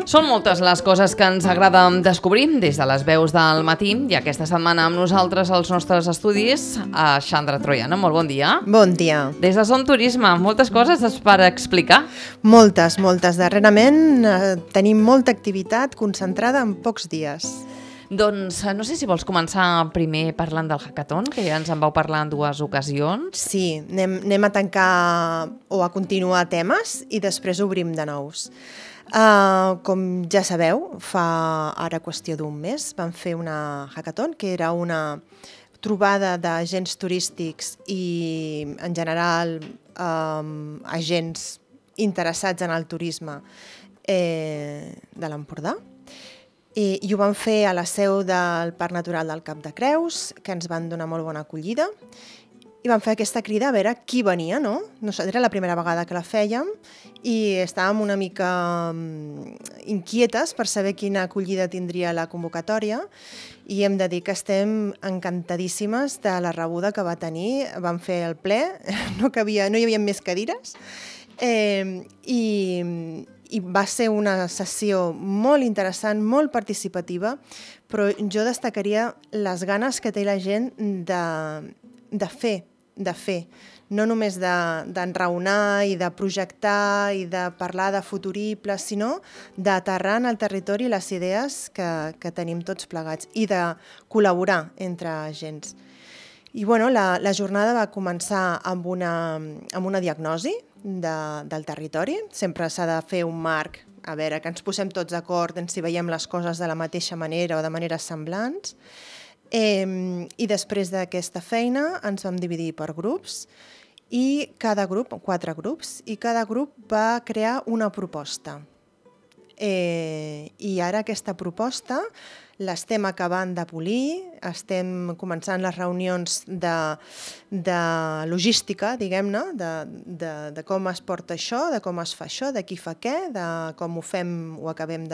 Són moltes les coses que ens agrada descobrir des de les veus del matí i aquesta setmana amb nosaltres als nostres estudis a Xandra Troiano. Molt bon dia. Bon dia. Des de Som Turisme, moltes coses per explicar. Moltes. Darrerament tenim molta activitat concentrada en pocs dies. Doncs no sé si vols començar primer parlant del hackathon, que ja ens en vau parlar en 2 ocasions. Sí, anem a tancar o a continuar temes i després obrim de nous. Com ja sabeu, fa ara qüestió d'un mes vam fer una hackathon, que era una trobada d'agents turístics i, en general, agents interessats en el turisme de l'Empordà. I ho vam fer a la seu del Parc Natural del Cap de Creus, que ens van donar molt bona acollida. I vam fer aquesta crida a veure qui venia, no? Era la primera vegada que la fèiem i estàvem una mica inquietes per saber quina acollida tindria la convocatòria i hem de dir que estem encantadíssimes de la rebuda que va tenir. Vam fer el ple, no hi havia més cadires i va ser una sessió molt interessant, molt participativa, però jo destacaria les ganes que té la gent de fer, no només d'enraonar i de projectar i de parlar de futuribles, sinó d'aterrar en el territori les idees que tenim tots plegats i de col·laborar entre agents. I la jornada va començar amb una diagnosi del territori. Sempre s'ha de fer un marc, a veure, que ens posem tots d'acord en si veiem les coses de la mateixa manera o de maneres semblants. I després d'aquesta feina ens vam dividir per grups i cada grup, 4 grups, i cada grup va crear una proposta. I ara aquesta proposta l'estem acabant de polir, estem començant les reunions de logística, diguem-ne, de com es porta això, de com es fa això, de qui fa què, de com ho acabem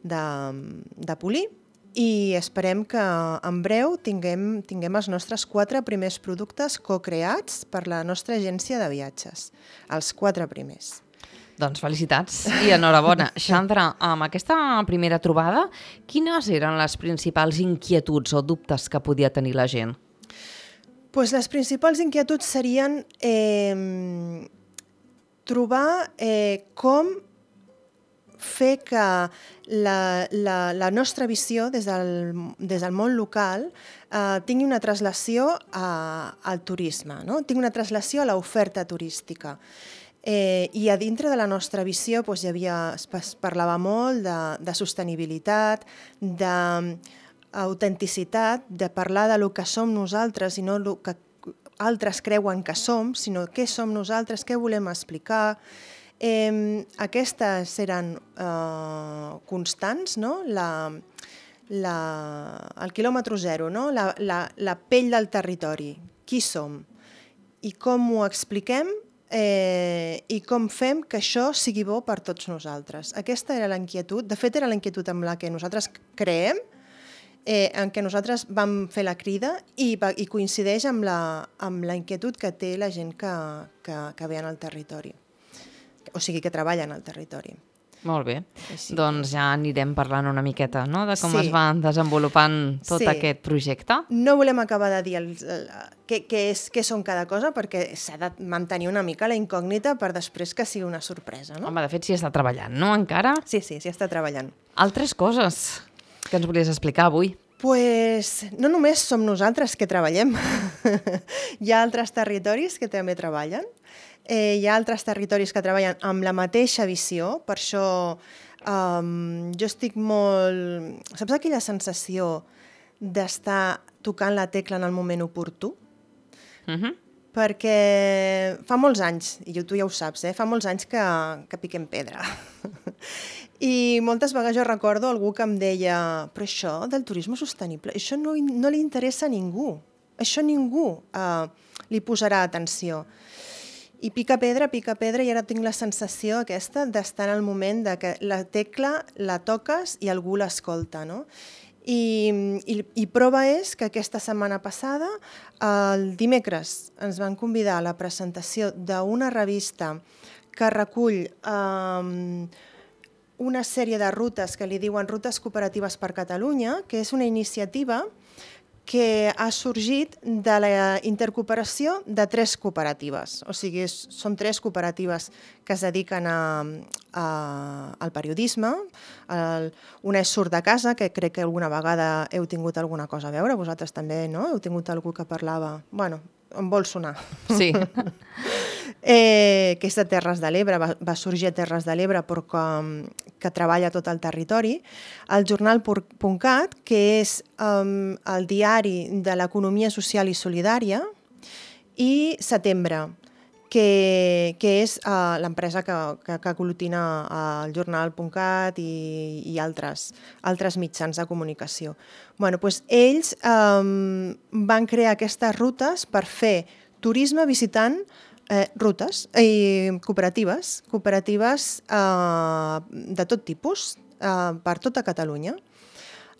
de polir. I esperem que en breu tinguem els nostres 4 primers productes co-creats per la nostra agència de viatges, els 4 primers. Doncs felicitats i enhorabona. Xandra, amb aquesta primera trobada, quines eren les principals inquietuds o dubtes que podia tenir la gent? Doncs les principals inquietuds serien trobar com fer que la nostra visió des del món local tingui una translació al turisme, no? Tingui una translació a l'oferta turística. I a dintre de la nostra visió es parlava molt de sostenibilitat, d'autenticitat, de parlar de lo que som nosaltres i no el que altres creuen que som, sinó què som nosaltres, què volem explicar. Aquestes eren constants, no? El quilòmetre zero, no? La pell del territori, qui som i com ho expliquem i com fem que això sigui bo per tots nosaltres. Aquesta era la inquietud, de fet era la inquietud amb la que nosaltres creem, en què nosaltres vam fer la crida i coincideix amb la inquietud que té la gent que ve al territori. O sigui, que treballen al territori. Molt bé. Doncs ja anirem parlant una miqueta, no?, de com es va desenvolupant tot aquest projecte. No volem acabar de dir què són cada cosa, perquè s'ha de mantenir una mica la incògnita per després que sigui una sorpresa, no? Home, de fet, s'hi està treballant, no?, encara? Sí, s'hi està treballant. Altres coses que ens volies explicar avui? Pues no només som nosaltres que treballem. Hi ha altres territoris que també treballen. Hi ha altres territoris que treballen amb la mateixa visió, per això jo estic molt... Saps aquella sensació d'estar tocant la tecla en el moment oportú? Perquè fa molts anys, i tu ja ho saps, fa molts anys que piquem pedra. I moltes vegades jo recordo algú que em deia però això del turisme sostenible, això no li interessa a ningú, això ningú li posarà atenció. I pica pedra, i ara tinc la sensació aquesta d'estar en el moment de que la tecla la toques i algú l'escolta, no? I prova és que aquesta setmana passada, el dimecres, ens van convidar a la presentació d'una revista que recull una sèrie de rutes que li diuen Rutes Cooperatives per Catalunya, que és una iniciativa que ha sorgit de la intercooperació de 3 cooperatives. O sigui, són 3 cooperatives que es dediquen al periodisme. Una és Surt de Casa, que crec que alguna vegada heu tingut alguna cosa a veure. Vosaltres també, no? Heu tingut algú que parlava... Bueno, em vol sonar. Sí. Que és de Terres de l'Ebre, va sorgir a Terres de l'Ebre però que treballa tot el territori. El jornal.cat, que és el diari de l'economia social i solidària, i Setembre, que és l'empresa que aglutina el jornal.cat i altres mitjans de comunicació. Bueno, doncs ells van crear aquestes rutes per fer turisme visitant rutes cooperatives de tot tipus per tota Catalunya.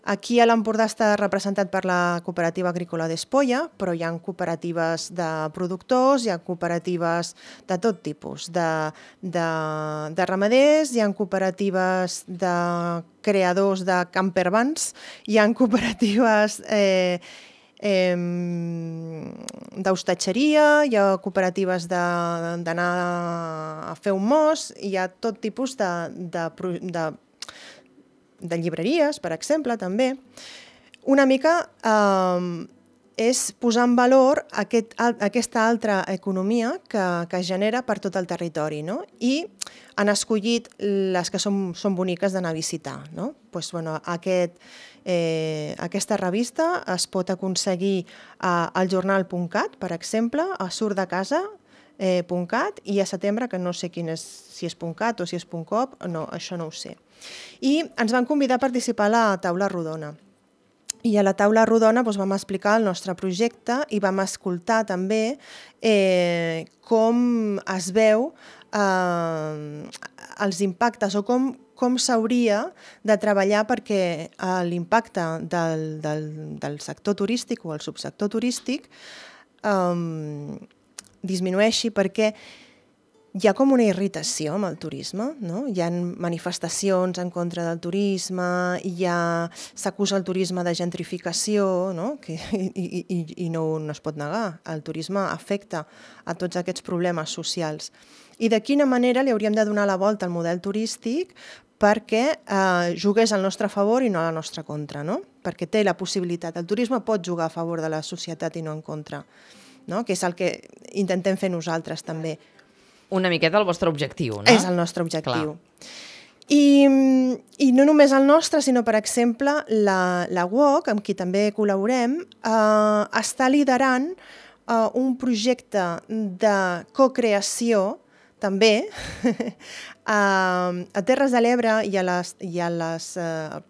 Aquí a l'Empordà està representat per la Cooperativa Agrícola d'Espolla, però hi ha cooperatives de productors, hi ha cooperatives de tot tipus, de ramaders, hi ha cooperatives de creadors de campervans, hi ha cooperatives d'hostatgeria, hi ha cooperatives d'anar a fer un mos, hi ha tot tipus de llibreries, per exemple, també. Una mica és posar en valor aquesta altra economia que es genera per tot el territori, no? I han escollit les que són boniques d'anar a visitar, no? Pues, bueno, aquesta revista es pot aconseguir al jornal.cat, per exemple, a surtdecasa.cat i a Setembre, que no sé si és .cat o si és .cop, no, això no ho sé. I ens van convidar a participar a la taula rodona. I a la taula rodona vam explicar el nostre projecte i vam escoltar també com es veu els impactes o com s'hauria de treballar perquè l'impacte del sector turístic o el subsector turístic disminueixi, perquè hi ha com una irritació amb el turisme, no? Hi ha manifestacions en contra del turisme, s'acusa el turisme de gentrificació, no? I no es pot negar. El turisme afecta a tots aquests problemes socials. I de quina manera li hauríem de donar la volta al model turístic perquè jugués al nostre favor i no a la nostra contra, no? Perquè té la possibilitat. El turisme pot jugar a favor de la societat i no en contra, no? Que és el que intentem fer nosaltres també. Una miqueta el vostre objectiu, no? És el nostre objectiu. I no només el nostre, sinó, per exemple, la UOC, amb qui també col·laborem, està liderant un projecte de cocreació, també, a Terres de l'Ebre i als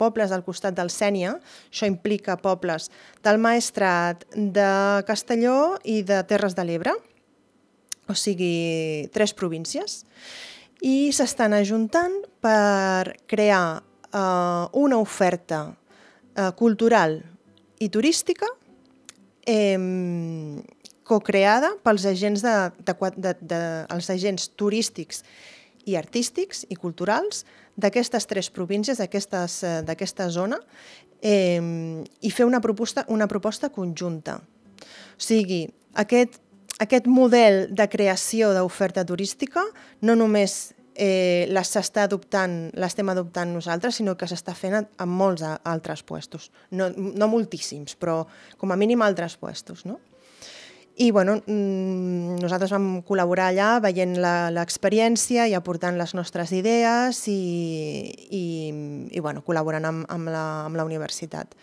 pobles del costat del Sénia. Això implica pobles del Maestrat, de Castelló i de Terres de l'Ebre, o sigui, 3 províncies, i s'estan ajuntant per crear una oferta cultural i turística cocreada pels agents els agents turístics i artístics i culturals d'aquestes 3 províncies, d'aquesta zona, i fer una proposta conjunta. O sigui, aquest model de creació d'oferta turística no només l'estem adoptant nosaltres, sinó que s'està fent en molts altres puestos. No moltíssims, però com a mínim altres puestos, no? I nosaltres vam col·laborar allà veient l'experiència i aportant les nostres idees i col·laborant amb la universitat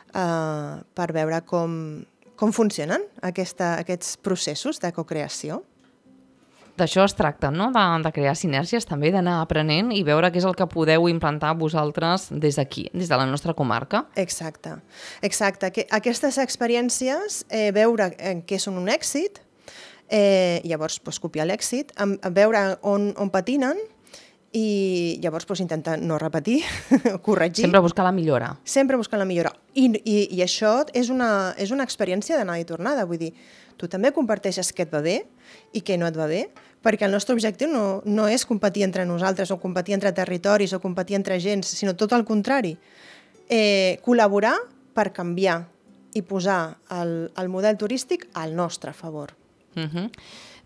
per veure com funcionen aquests processos de cocreació. D'això es tracta, no? De crear sinergies també, d'anar aprenent i veure què és el que podeu implantar vosaltres des d'aquí, des de la nostra comarca. Exacte. Aquestes experiències, veure què són un èxit, llavors copiar l'èxit, veure on patinen i llavors intentar no repetir, corregir. Sempre buscar la millora. Sempre buscar la millora. I això és una experiència d'anada i tornada, vull dir, tu també comparteixes què et va bé i què no et va bé, perquè el nostre objectiu no és competir entre nosaltres o competir entre territoris o competir entre gens, sinó tot el contrari. Col·laborar per canviar i posar el model turístic al nostre favor.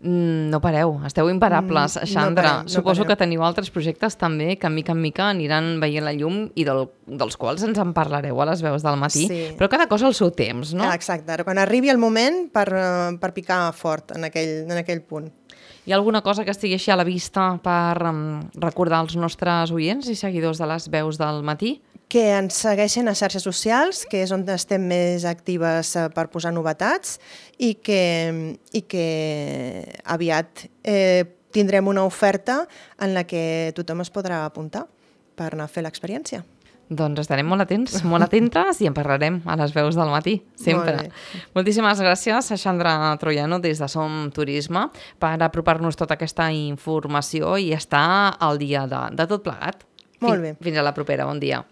No pareu, esteu imparables, Xandra. No Suposo parem. que teniu altres projectes també que mica en mica aniran veient la llum i dels quals ens en parlareu a les veus del matí, Sí. però cada cosa al seu temps, no? Exacte, quan arribi el moment per picar fort en aquell punt. Hi ha alguna cosa que estigui així a la vista per recordar als nostres oients i seguidors de les veus del matí? Que ens segueixen a xarxes socials, que és on estem més actives per posar novetats i que aviat tindrem una oferta en la que tothom es podrà apuntar per anar a fer l'experiència. Doncs estarem molt atents, molt atentes i en parlarem a les veus del matí, sempre. Molt bé. Moltíssimes gràcies a Xandra Troiano des de Som Turisme per apropar-nos tota aquesta informació i estar al dia de tot plegat. Molt bé. Fins a la propera, bon dia.